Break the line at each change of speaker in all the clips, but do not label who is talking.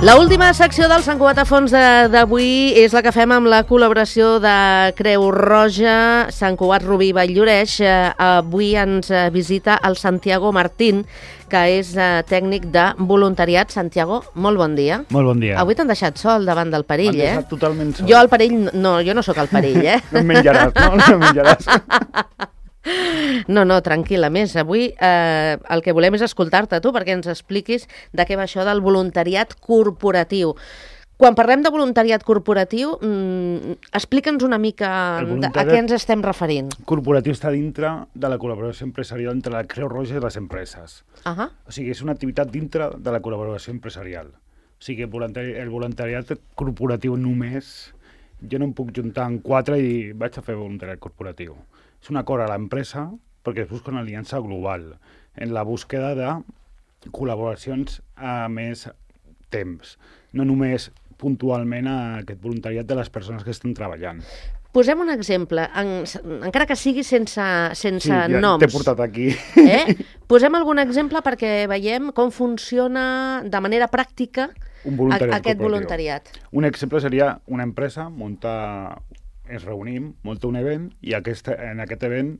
L'última secció del Sant Cugat a Fons d'avui és la que fem amb la col·laboració de Creu Roja, Sant Cugat Rubí Vall-lloreix. Avui ens visita el Santiago Martín, que és tècnic de voluntariat. Santiago, molt bon dia.
Molt bon dia.
Avui t'han deixat sol davant del perill,
M'han deixat totalment sol.
Jo el perill, no, jo no sóc el perill,
No em menjaràs, no? No em menjaràs.
No, tranquil·la. A més, avui el que volem és escoltar-te tu perquè ens expliquis de què va això del voluntariat corporatiu. Quan parlem de voluntariat corporatiu, explica'ns una mica a què ens estem referint.
Corporatiu està dintre de la col·laboració empresarial entre la Creu Roja i les empreses.
O
sigui, és una activitat dintre de la col·laboració empresarial. O sigui, el voluntariat corporatiu només, jo no em puc juntar en 4 i dir vaig a fer voluntariat corporatiu. És un acord a l'empresa perquè es busca una aliança global en la búsqueda de col·laboracions a més temps, no només puntualment a aquest voluntariat de les persones que estan treballant.
Posem un exemple, encara que sigui sense noms.
T'he portat aquí.
Posem algun exemple perquè veiem com funciona de manera pràctica aquest voluntariat.
Un exemple seria una empresa ens reunim, munta un event i en aquest event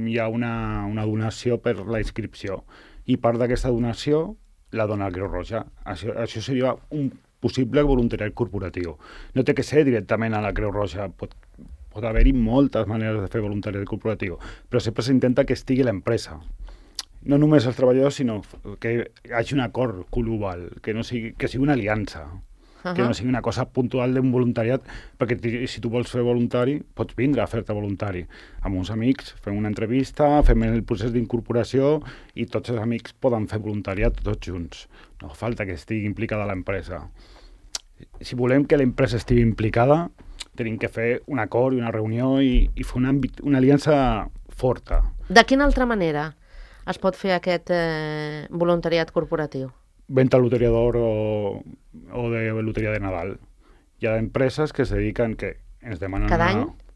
hi ha una donació per la inscripció i part d'aquesta donació la dona la Creu Roja. Això seria un possible voluntariat corporatiu. No té que ser directament a la Creu Roja, pot haver-hi moltes maneres de fer voluntariat corporatiu, però sempre s'intenta que estigui l'empresa. No només els treballadors, sinó que hi hagi un acord global, que sigui una aliança. Que no sigui una cosa puntual d'un voluntariat, perquè si tu vols fer voluntari, pots vindre a fer-te voluntari. Amb uns amics, fem una entrevista, fem el procés d'incorporació i tots els amics poden fer voluntariat tots junts. No fa falta que estigui implicada l'empresa. Si volem que l'empresa estigui implicada, tenim que fer un acord i una reunió i fer una aliança forta.
De quina altra manera es pot fer aquest voluntariat corporatiu?
Venta de loteria d'or o de loteria de Nadal. Hi ha empreses que es dediquen, que ens demanen...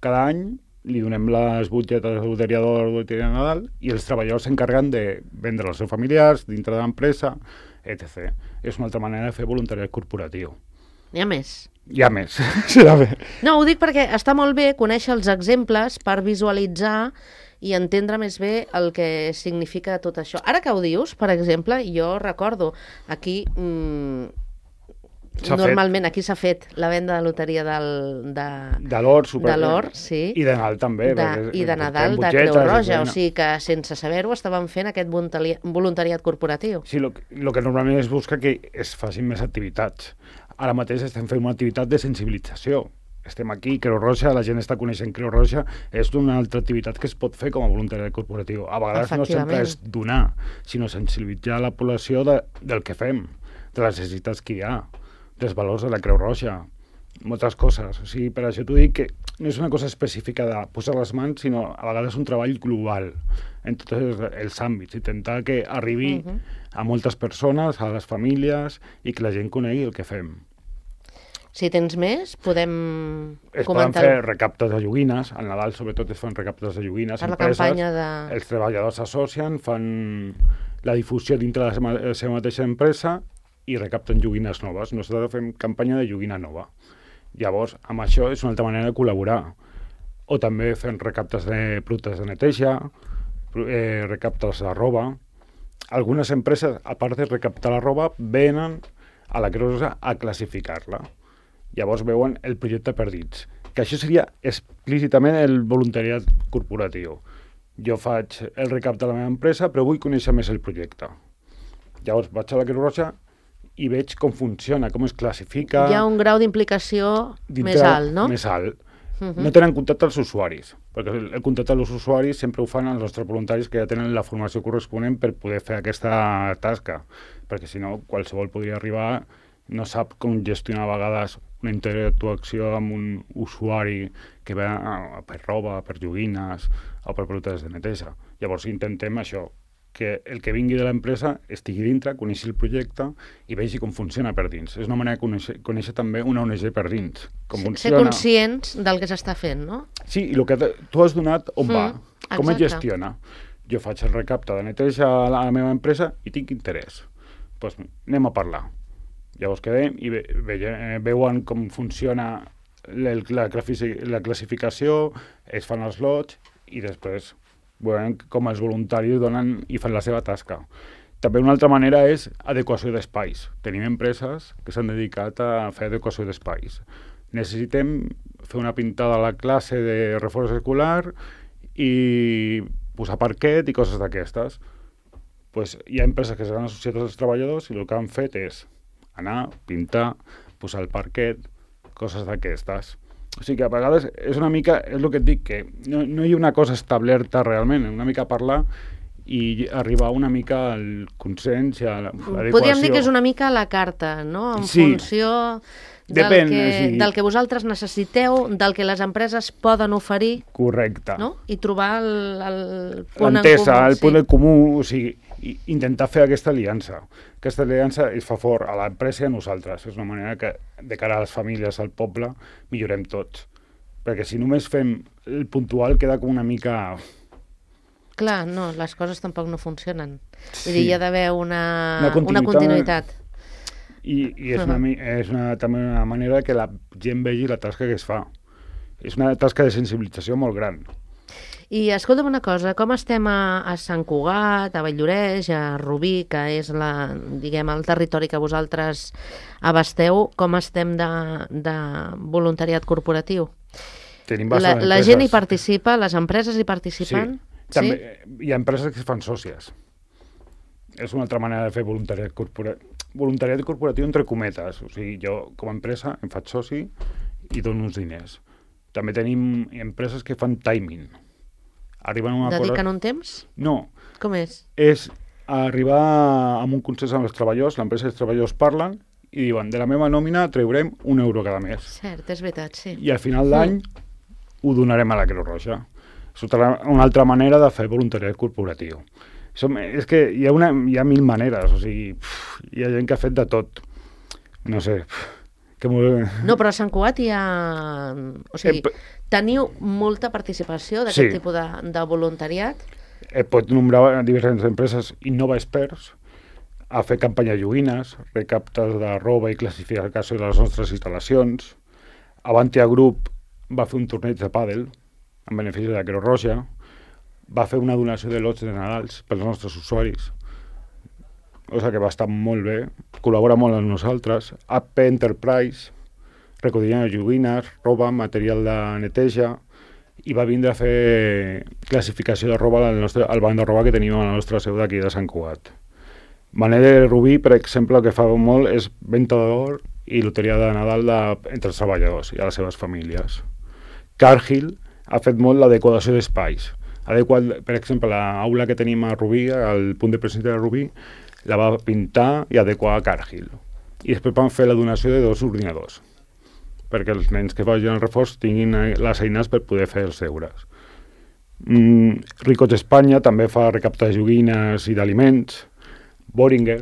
Cada any li donem les butlletes de loteria d'or o loteria de Nadal i els treballadors s'encarreguen de vendre als seus familiars dintre de l'empresa, etc. És una altra manera de fer voluntariat corporatiu.
N'hi ha més?
Hi ha més, serà bé.
No, ho dic perquè està molt bé conèixer els exemples per visualitzar i entendre més bé el que significa tot això. Ara que ho dius, per exemple, jo recordo aquí... Normalment aquí s'ha fet la venda de loteria
de l'or,
sí.
I de Nadal també.
I de Nadal de Creu Roja, o sigui que sense saber-ho estaven fent aquest voluntariat corporatiu.
Sí, el que normalment es busca que es facin més activitats. Ara mateix estem fent una activitat de sensibilització. Estem aquí, Creu Roja, la gent està coneixent Creu Roja, és una altra activitat que es pot fer com a voluntariat corporatiu. A vegades no sempre és donar, sinó sensibilitzar la població del que fem, de les necessitats que hi ha, dels valors de la Creu Roja, moltes coses. O sigui, per això t'ho dic que no és una cosa específica de posar les mans, sinó a vegades un treball global en tots els àmbits, intentar que arribi a moltes persones, a les famílies, i que la gent conegui el que fem.
Si tens més, podem comentar...
Es poden fer recaptes de joguines, al Nadal sobretot es fan recaptes de joguines.
Per la campanya de...
Els treballadors s'associen, fan la difusió dintre de la seva mateixa empresa i recapten joguines noves. Nosaltres fem campanya de joguina nova. Llavors, amb això és una altra manera de col·laborar. O també fem recaptes de productes de neteja, recaptes de roba. Algunes empreses, a part de recaptar la roba, venen a la Creu Roja a classificar-la. Llavors veuen el projecte per dins. Que això seria explícitament el voluntariat corporatiu. Jo faig el recapte de la meva empresa, però vull conèixer més el projecte. Llavors vaig a la Creu Roja i veig com funciona, com es classifica...
Hi ha un grau d'implicació més alt, no?
Més alt. No tenen contacte els usuaris, perquè el contacte dels usuaris sempre ho fan els nostres voluntaris que ja tenen la formació corresponent per poder fer aquesta tasca, perquè si no qualsevol podria arribar, no sap com gestionar a vegades una interactuació amb un usuari que va per roba, per joguines o per productes de neteja. Llavors intentem això, que el que vingui de l'empresa estigui dintre, coneixi el projecte i vegi com funciona per dins. És una manera de conèixer també una ONG per dins. Com
Ser conscients del que s'està fent, no?
Sí, i el que tu has donat on va, com es gestiona. Jo faig el recapte de neteja a la meva empresa i tinc interès. Doncs anem a parlar. Llavors quedem i veuen com funciona la classificació, es fan els lots i després veuen com els voluntaris donen i fan la seva tasca. També una altra manera és adequació d'espais. Tenim empreses que s'han dedicat a fer adequació d'espais. Necessitem fer una pintada a la classe de reforç escolar i posar parquet i coses d'aquestes. Pues hi ha empreses que s'han associat als treballadors i el que han fet és anar, pintar, posar el parquet, coses d'aquestes. O sigui que a vegades és una mica, és el que et dic, que no hi ha una cosa establerta realment, una mica parlar i arribar una mica al consens i a l'adequació.
Podríem dir que és una mica a la carta, no? En funció del que vosaltres necessiteu, del que les empreses poden oferir.
Correcte.
No? I trobar el punt en comú.
L'entesa, el punt en comú, o sigui, intentar fer aquesta aliança. Aquesta aliança es fa fort a l'empresa i a nosaltres. És una manera que, de cara a les famílies, al poble, millorem tots. Perquè si només fem el puntual queda com una mica...
Clar, no, les coses tampoc no funcionen. Vull dir, hi ha d'haver una continuïtat.
I és també una manera que la gent vegi la tasca que es fa. És una tasca de sensibilització molt gran.
I escolta'm una cosa, com estem a Sant Cugat, a Vall-lloreix, a Rubí, que és el territori que vosaltres abasteu, com estem de voluntariat corporatiu?
Tenim bastantes empreses.
La gent hi participa, les empreses hi participen?
Sí, també hi ha empreses que es fan sòcies. És una altra manera de fer voluntariat corporatiu. Voluntariat corporatiu entre cometes. O sigui, jo com a empresa em faig soci i dono uns diners. També tenim empreses que fan timing.
Dediquen un temps?
No.
Com és?
És arribar amb un consens amb els treballadors, l'empresa i els treballadors parlen i diuen, de la meva nòmina traurem €1 cada mes.
Cert, és veritat, sí.
I al final d'any ho donarem a la Creu Roja. És una altra manera de fer voluntariat corporatiu. És que hi ha 1000 maneres, o sigui, hi ha gent que ha fet de tot. No sé...
No, però a Sant Cugat hi ha... O sigui, teniu molta participació d'aquest tipus de voluntariat?
Pot nombrar diverses empreses. Innova Experts a fer campanya de joguines, recaptes de roba i classificació de les nostres instal·lacions. Avantia Group va fer un torneig de pàdel en benefici de la Creu Roja. Va fer una donació de lots de Nadals pels nostres usuaris. O sigui que va estar molt bé, col·labora molt amb nosaltres. AP Enterprise, recollien joguines, roba, material de neteja, i va vindre a fer classificació de roba al banc de roba que tenim a la nostra seu d'aquí de Sant Cugat. Manet de Rubí, per exemple, el que fa molt és venda d'or i loteria de Nadal entre els treballadors i a les seves famílies. Cargill ha fet molt l'adequació d'espais. Per exemple, l'aula que tenim a Rubí, al punt de presència de Rubí, la va pintar i adequar a Cargill. I després van fer la donació de 2 ordinadors, perquè els nens que vagin al reforç tinguin les eines per poder fer els deures. Ricots Espanya també fa recapte de joguines i d'aliments. Boehringer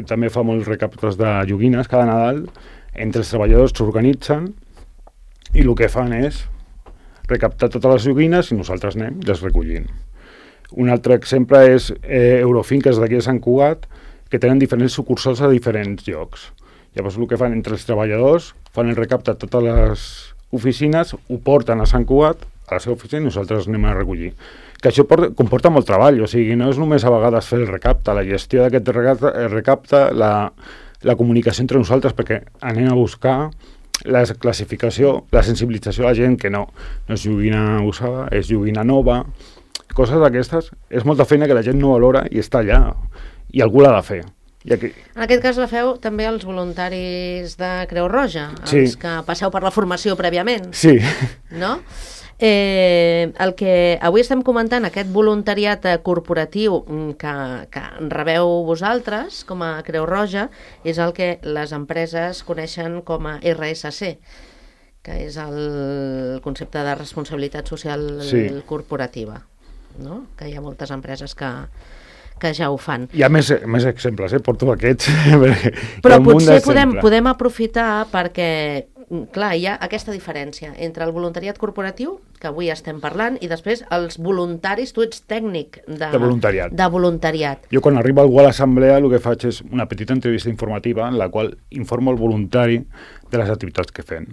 també fa molts recaptes de joguines cada Nadal. Entre els treballadors s'organitzen i el que fan és recaptar totes les joguines i nosaltres anem i les recollim. Un altre exemple és Eurofinques d'aquí de Sant Cugat, que tenen diferents sucursals a diferents llocs. Llavors el que fan entre els treballadors, fan el recapte a totes les oficines, ho porten a Sant Cugat, a la seva oficina, i nosaltres anem a recollir. Que això comporta molt treball, o sigui, no és només a vegades fer el recapte, la gestió d'aquest recapte, la comunicació entre nosaltres, perquè anem a buscar la classificació, la sensibilització a la gent que no és joguina usada, és joguina nova, coses d'aquestes, és molta feina que la gent no valora i està allà, i algú l'ha de fer. I aquí...
En aquest cas la feu també els voluntaris de Creu Roja, els que passeu per la formació prèviament.
Sí.
No? El que avui estem comentant, aquest voluntariat corporatiu que rebeu vosaltres com a Creu Roja, és el que les empreses coneixen com a RSC, que és el concepte de responsabilitat social corporativa, no? Que hi ha moltes empreses que ja ho fan.
Hi ha més exemples, porto aquests.
Però potser podem aprofitar perquè, clar, hi ha aquesta diferència entre el voluntariat corporatiu, que avui estem parlant, i després els voluntaris. Tu ets tècnic de voluntariat.
Jo quan arriba algú a l'assemblea el que faig és una petita entrevista informativa en la qual informo el voluntari de les activitats que fem.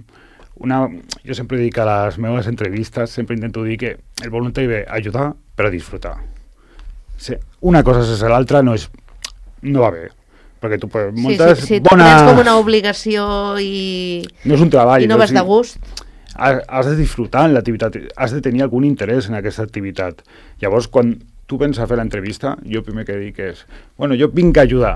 Jo sempre dic a les meves entrevistes, sempre intento dir que el voluntari ve a ajudar per a disfrutar. Una cosa sense l'altra no va bé, perquè tu moltes
tu prens com una obligació i
no és un treball,
i no vas de gust.
Has de disfrutar en l'activitat, has de tenir algun interès en aquesta activitat. Llavors, quan tu vens a fer l'entrevista, jo el primer que dic és jo vinc a ajudar.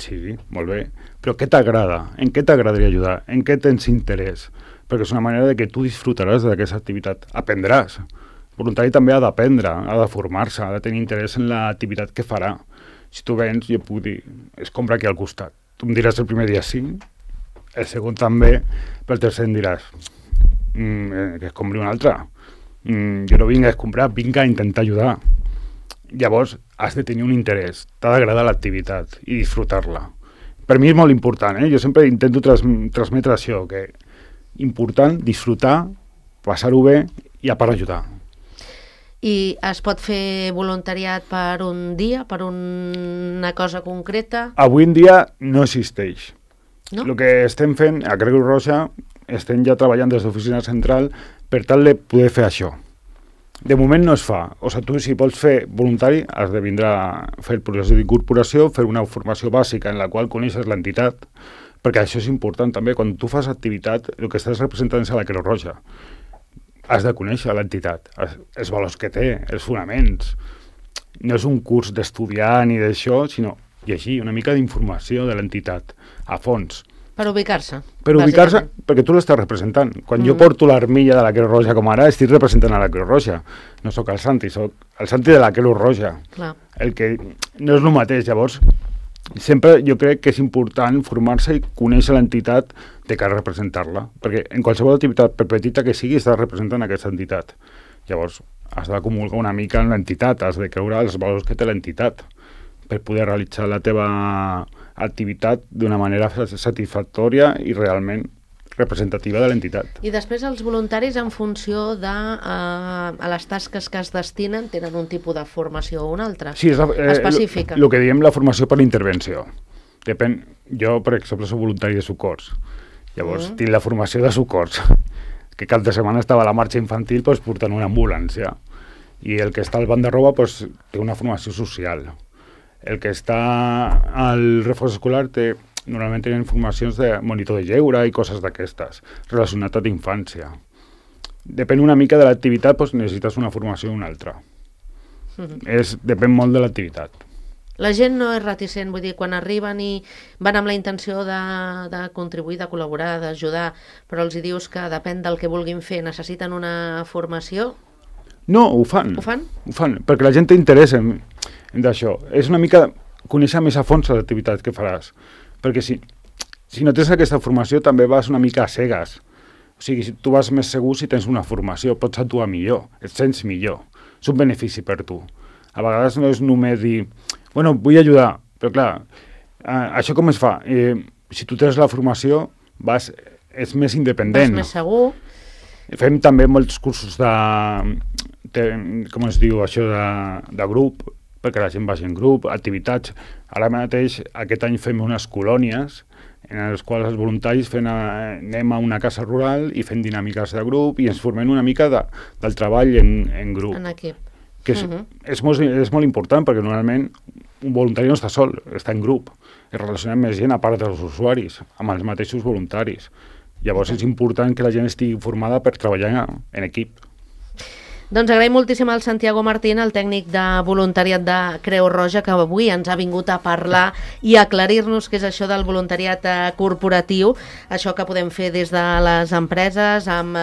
Sí, molt bé, però què t'agrada? En què t'agradaria ajudar? En què tens interès? Perquè és una manera de que tu disfrutaràs d'aquesta activitat, aprendràs. El voluntari també ha d'aprendre, ha de formar-se, ha de tenir interès en l'activitat que farà. Si tu vens, jo puc dir, es compra aquí al costat. Tu em diràs el primer dia sí, el segon també, però el tercer em diràs que es compri un altre. Jo no vinc a comprar, vinc a intentar ajudar. Llavors, has de tenir un interès, t'ha d'agradar l'activitat i disfrutar-la. Per mi és molt important, jo sempre intento transmetre això, que important, disfrutar, passar-ho bé i a part ajudar.
I es pot fer voluntariat per un dia, per una cosa concreta?
Avui en dia no existeix.
No?
El que estem fent a Creu Roja, estem ja treballant des d'oficina central per tal de poder fer això. De moment no es fa. O sigui, tu si vols fer voluntari has de vindre a fer el procés d'incorporació, fer una formació bàsica en la qual coneixes l'entitat, perquè això és important també. Quan tu fas activitat, el que estàs representant és a la Creu Roja. Has de conèixer l'entitat, els valors que té, els fonaments. No és un curs d'estudiar ni d'això, sinó llegir una mica d'informació de l'entitat, a fons.
Per ubicar-se.
Per ubicar-se, perquè tu l'estàs representant. Quan jo porto l'armilla de la Creu Roja com ara, estic representant a la Creu Roja. No sóc el Santi, sóc el Santi de la Creu Roja.
Clar.
El que no és el mateix, llavors... Sempre jo crec que és important formar-se i conèixer l'entitat de cara a representar-la, perquè en qualsevol activitat, per petita que sigui, estàs representant aquesta entitat. Llavors, has d'acumular una mica en l'entitat, has de creure els valors que té l'entitat per poder realitzar la teva activitat d'una manera satisfactòria i realment representativa de l'entitat.
I després els voluntaris, en funció de a les tasques que es destinen, tenen un tipus de formació o una altra?
Sí,
específica.
El que diem la formació per intervenció. Depèn. Jo, per exemple, soc voluntari de socors. Llavors, tinc la formació de socors. Que cap de setmana estava a la marxa infantil portant una ambulància. I el que està al banc de roba té una formació social. El que està al reforç escolar normalment tenen formacions de monitor de lleure i coses d'aquestes, relacionat amb infància. Depèn una mica de l'activitat, necessites una formació o una altra. Depèn molt de l'activitat.
La gent no és reticent, vull dir, quan arriben i van amb la intenció de contribuir, de col·laborar, d'ajudar, però els dius que depèn del que vulguin fer, necessiten una formació?
No, ho fan.
Ho fan?
Ho fan, perquè la gent té interès en d'això. És una mica conèixer més a fons l'activitat que faràs. Perquè si no tens aquesta formació també vas una mica a cegues. O sigui, tu vas més segur si tens una formació, pots actuar millor, et sents millor. És un benefici per tu. A vegades no és només dir, vull ajudar, però clar, això com es fa? Si tu tens la formació, és més independent.
Vas més segur.
Fem també molts cursos com es diu això, de grup, perquè la gent vagi en grup, activitats. Ara mateix, aquest any fem unes colònies en les quals els voluntaris anem a una casa rural i fem dinàmiques de grup i ens formem una mica del treball en grup.
En equip.
Que és molt important, perquè normalment un voluntari no està sol, està en grup. Es relaciona amb més gent a part dels usuaris, amb els mateixos voluntaris. Llavors és important que la gent estigui formada per treballar en equip.
Doncs agraïm moltíssim al Santiago Martín, el tècnic de voluntariat de Creu Roja, que avui ens ha vingut a parlar i a aclarir-nos què és això del voluntariat corporatiu, això que podem fer des de les empreses, amb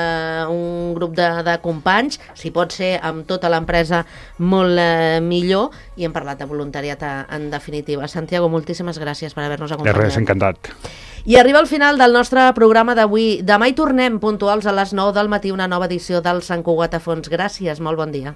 un grup de companys, si pot ser amb tota l'empresa molt millor, i hem parlat de voluntariat en definitiva. Santiago, moltíssimes gràcies per haver-nos acompanyat.
De res, encantat.
I arriba el final del nostre programa d'avui. Demà hi tornem puntuals a les 9 del matí, una nova edició del Sant Cugat a Fons. Gràcies, molt bon dia.